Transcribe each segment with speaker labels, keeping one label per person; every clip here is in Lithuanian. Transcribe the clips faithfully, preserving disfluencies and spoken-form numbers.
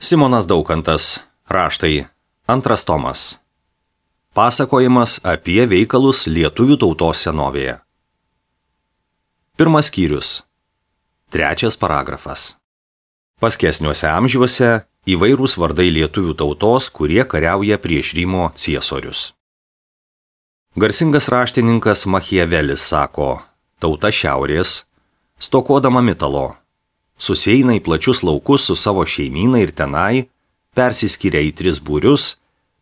Speaker 1: Simonas Daukantas. Raštai. Antras tomas. Pasakojimas apie veikalus lietuvių tautos senovėje. Pirmas skyrius. Trečias paragrafas. Paskesniuose amžiuose įvairūs vardai lietuvių tautos, kurie kariauja prieš Rymo ciesorius. Garsingas raštininkas Machiavelis sako, tauta šiaurės, stokodama mitalo, susieina į plačius laukus su savo šeimyna ir tenai, persiskiria į tris būrius,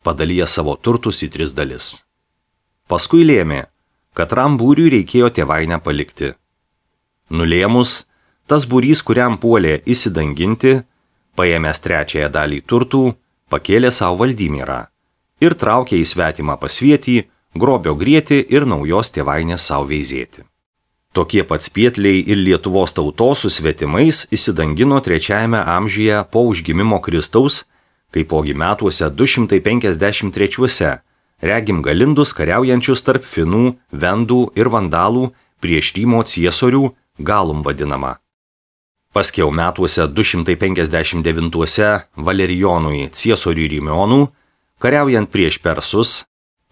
Speaker 1: padalyja savo turtus į tris dalis. Paskui lėmė, kad ram būriui reikėjo tėvainę palikti. Nulėmus, tas būrys, kuriam puolė įsidanginti, paėmęs trečiąją dalį turtų, pakėlė savo Valdymirą ir traukė į svetimą pasvietį, grobio grieti ir naujos tėvainės savo veizėti. Tokie pat spietliai ir Lietuvos tautos su svetimais įsidangino trečiajame amžiuje po užgimimo Kristaus, kaipogi metuose du šimtai penkiasdešimt trečiuose regim galindus kariaujančius tarp finų, vendų ir vandalų prieš Rymo ciesorių, galum vadinama. Paskiau metuose du šimtai penkiasdešimt devintuose Valerijonui ciesoriui Rymionų, kariaujant prieš persus,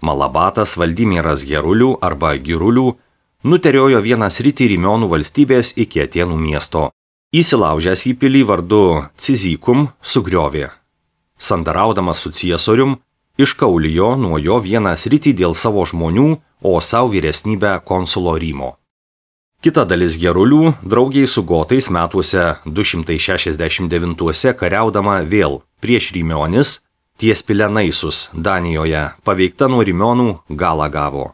Speaker 1: Malabatas Valdimiras Gerulių arba Girulių nuteriojo vieną sritį Rymionų valstybės iki Atėnų miesto. Įsilaužęs į pilį vardu Cizikum sugriovė. Sandaraudamas su ciesorium, iškaulijo nuo jo vieną sritį dėl savo žmonių, o savo vyresnybę konsulo Rymo. Kita dalis Gerulių, draugiai su gotais metuose du šimtai šešiasdešimt devintuose kariaudama vėl prieš Rymionis, ties Pilenaisus Danijoje, paveikta nuo Rymionų, galą gavo.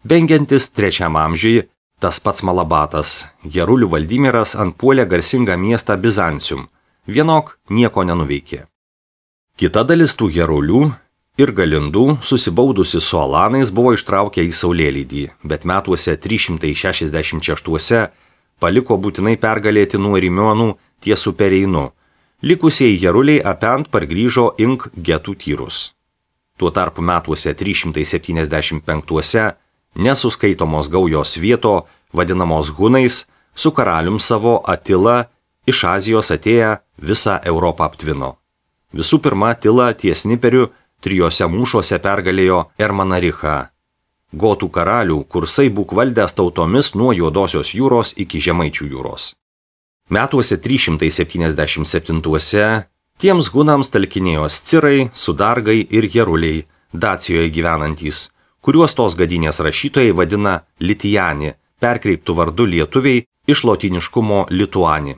Speaker 1: Bengiantis trečiam amžiui, tas pats Malabatas, Gerulių Valdimiras antpuolė garsingą miestą Bizancium, vienok nieko nenuveikė. Kita dalis tų Gerulių ir galindų, susibaudusi su alanais, buvo ištraukę į saulėlydį, bet metuose trys šimtai šešiasdešimt šeštuose paliko būtinai pergalėti nuo Rymionų ties upe Reinu. Likusieji Geruliai apent pargrįžo ink getų tyrus. Tuo tarpu metuose trys šimtai septyniasdešimt penktuose nesuskaitomos gaujos vieto, vadinamos Hunais, su karalium savo Atila iš Azijos atėję visą Europą aptvino. Visų pirma, Atila ties Niperiu trijose mūšuose pergalėjo Ermanarichą. Gotų karalių kursai būk valdęs tautomis nuo Juodosios jūros iki Žemaičių jūros. Metuose trys šimtai septyniasdešimt septintuose tiems Hunams talkinėjo Scirai, Sudargai ir Geruliai, Dacijoje gyvenantys, kuriuos tos gadynės rašytojai vadina Litijani, perkreiptų vardu lietuviai iš lotiniškumo Lituani.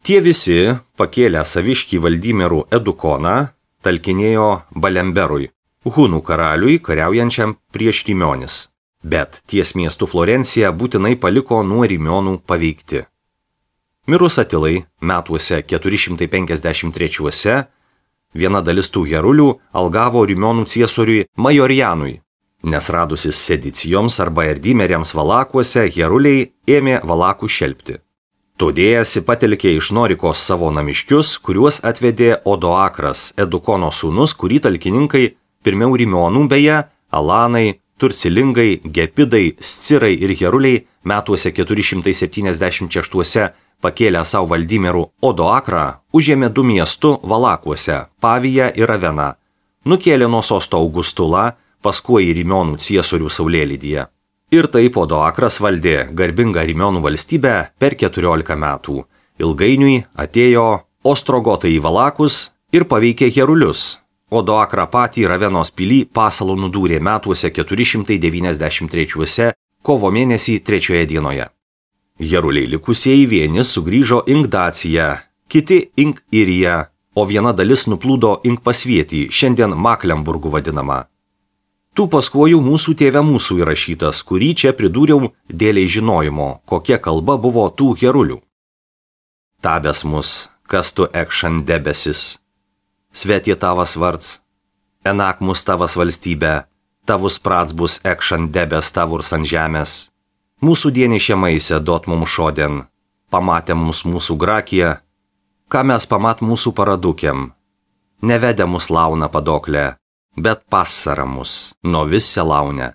Speaker 1: Tie visi, pakėlę saviškį Valdymirų Edukoną, talkinėjo Balemberui, Hunų karaliui kariaujančiam prieš Rymionis, bet ties miestu Florencija būtinai paliko nuo Rymionų paveikti. Mirus Atilai, metuose keturi šimtai penkiasdešimt trečiuose, viena dalis tų Gerulių algavo Rymionų ciesoriui Majorianui, nes radusis sedicijoms arba erdymeriams Valakuose, Geruliai ėmė Valakų šelpti. Todėjasi patelkė iš Norikos savo namiškius, kuriuos atvedė Odoakras, Edukono sūnus, kurį talkininkai pirmiau Rymionų beje, Alanai, Turcilingai, Gepidai, Scirai ir Geruliai metuose keturi šimtai septyniasdešimt šeštuose pakėlę savo Valdymirų Odoakrą, užėmė du miestų Valakuose, Paviją ir Raveną, nukėlė nuo sosto Augustulą, paskui į Rymionų ciesorių saulėlydyje. Ir taip Odoakras valdė garbingą Rymionų valstybę per keturiolika metų. Ilgainiui atėjo ostrogotai į Valakus ir paveikė Gerulius. Odoakrą patį Ravenos pilį pasalų nudūrė metuose keturi šimtai devyniasdešimt trečiuose kovo mėnesį trečioje dienoje. Geruliai likusieji vieni sugrįžo ink Daciją, kiti ink Iriją, o viena dalis nuplūdo ink Pasvietį, šiandien Maklemburgu vadinama. Tų paskuojų mūsų tėve mūsų įrašytas, kurį čia pridūriau dėliai žinojimo, kokia kalba buvo tų Gerulių. Tabes mus, kas tu ekšan debesis, svetie tavas vards, enak mus tavas valstybė, tavus prats bus ekšan debes tavurs ant žemės. Mūsų dienišė maise dot mum šodien, pamatė mus mūsų grakiją, ką mes pamat mūsų paradukiam, nevedė mus launa padoklė, bet pasara mus, nuo vis selaunę.